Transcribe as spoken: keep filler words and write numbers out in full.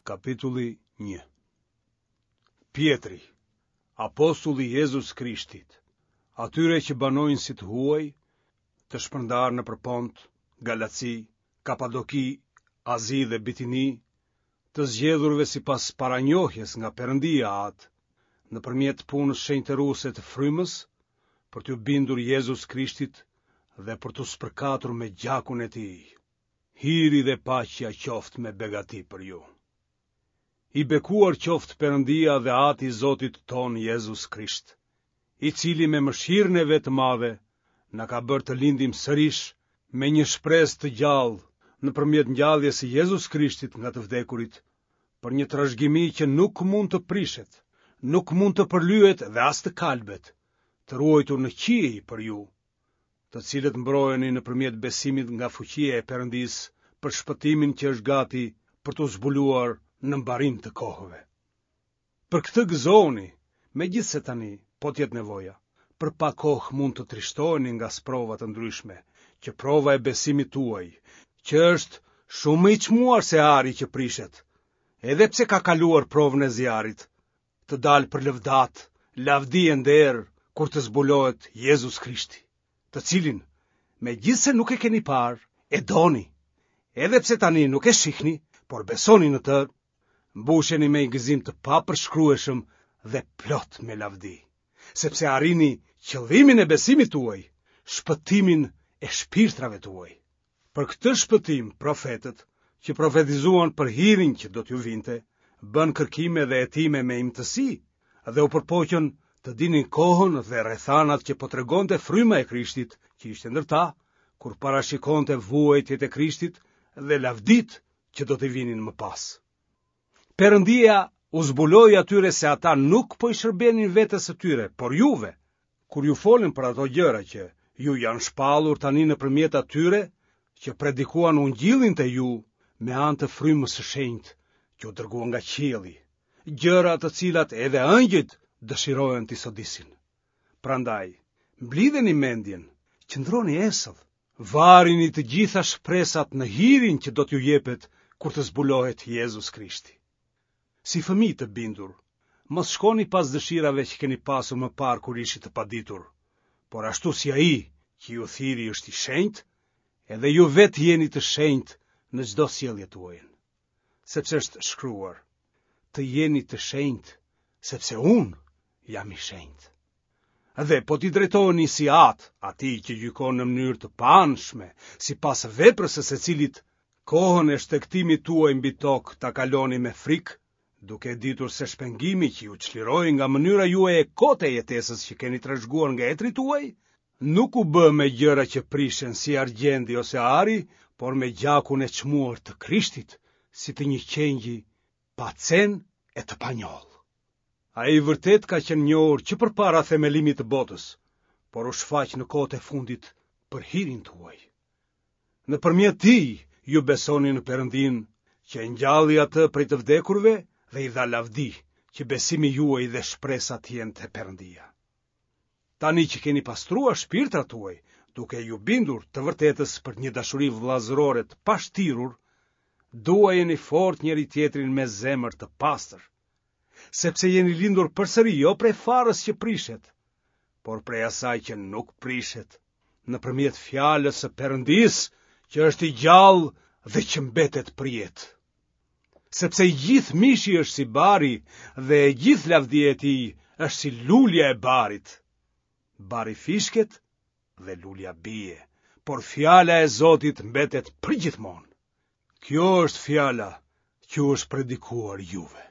Kapitulli një. Pjetri, apostulli i Jezus Krishtit, atyre që banojnë si të huaj, të shpërndarë nëpër Pont, Galaci, Kapadoki, Azi dhe Bitini, të zgjedhurve sipas paranjohjes nga Perëndia Atë, nëpërmjet punës shenjtëruese të Frymës, për t'ju bindur Jezus Krishtit dhe për t'u spërkatur me gjakun e tij. Hiri dhe paqja qoftë me begati për ju. I bekuar qoftë Perëndia dhe Ati i Zotit tonë Jezus Krisht, i cili me mëshirën e vet të madhe na ka bërë të lindim sërish me një shpresë të gjallë nëpërmjet ngjalljes së Jezus Krishtit nga të vdekurit, për një trashëgimi që nuk mund të prishet, nuk mund të përlyhet dhe as të kalbet, të ruajtur në qiej për ju, të cilët mbroheni nëpërmjet besimit nga fuqia e Perëndisë për shpëtimin që është gati për t'u zbuluar në mbarim të kohëve. Për këtë gëzohuni, megjithëse tani, po të jetë nevoja, për pak kohë mund të trishtoheni nga sprova të ndryshme, që prova e besimit tuaj, që është shumë më i çmuar se ari që prishet, edhe pse ka kaluar provën e zjarrit, të dalë për lëvdatë, lavdi e nder kur të zbulohet Jezus Krishti, të cilin, megjithëse nuk e keni parë, e doni, edhe pse tani nuk e shihni, por besoni në të, mbusheni me një gëzim të papërshkrueshëm dhe plot me lavdi, sepse arrini qëllimin e besimit tuaj, shpëtimin e shpirtrave tuaj. Për këtë shpëtim, profetët, që profetizuan për hirin që do t'ju vinte, bënë kërkime dhe hetime me imtësi dhe u përpoqën të dinin kohën dhe rrethanat që po tregonte fryma e Krishtit, që ishte ndër ta, kur parashikonte vuajtjet e Krishtit dhe lavditë që do t'i vinin më pas. Perëndia u zbuloi atyre se ata nuk po i shërbenin vetes së tyre, por juve, kur ju folën për ato gjëra që ju janë shpallur tani nëpërmjet atyre që predikuan ungjillin te ju me anë të frymës së shenjtë që u dërgua nga qielli, gjëra të cilat edhe ëngjëjt dëshirojnë t'i sodisin. Prandaj, mblidheni mendjen, qëndroni esëll, varini të gjitha shpresat në hirin që do t'ju jepet kur të zbulohet Jezus Krishti. Si fëmijë të bindur, mos shkoni pas dëshirave që keni pasur më parë kur ishit të paditur, por ashtu si ai që ju thirri është i shenjtë, edhe ju vetë jeni të shenjtë në çdo sjellje tuajën. Sepse është shkruar, të jeni të shenjtë, sepse unë jam i shenjtë. Dhe po t'i drejtoheni si atë, atij që gjykon në mënyrë të paanshme, sipas veprës së secilit, kohën e shtegtimit tuaj mbi tokë ta kaloni me frikë, duke e ditur se shpengimi që ju çliroi nga mënyra juaj e kotë e jetesës që keni trashëguar nga etërit tuaj, nuk u bë me gjëra që prishen si argjendi ose ari, por me gjakun e çmuar të Krishtit, si të një qengji pa cen e të panjollë. Ai vërtet ka qenë njohur që përpara themelimit të botës, por u shfaq në kohët e fundit për hirin tuaj. Nëpërmjet tij ju besoni në Perëndinë, që e ngjalli atë prej të vdekurve dhe i dha lavdi, që besimi juaj dhe shpresa të jenë te Perëndia. Tani që keni pastruar shpirtrat tuaj, duke ju bindur të vërtetës për një dashuri vëllazërore të pashtirur, duajeni fort njëri tjetrin me zemër të pastër, sepse jeni lindur përsëri jo prej farës që prishet, por prej asaj që nuk prishet, nëpërmjet fjalës së Perëndisë, që është i gjallë dhe që mbetet përjetë. Sepse i gjithë mishi është si bari dhe e gjithë lavdia e tij është si lulja e barit. Bari fishket dhe lulja bie, por fjala e Zotit mbetet përgjithmonë. Kjo është fjala që u është predikuar juve.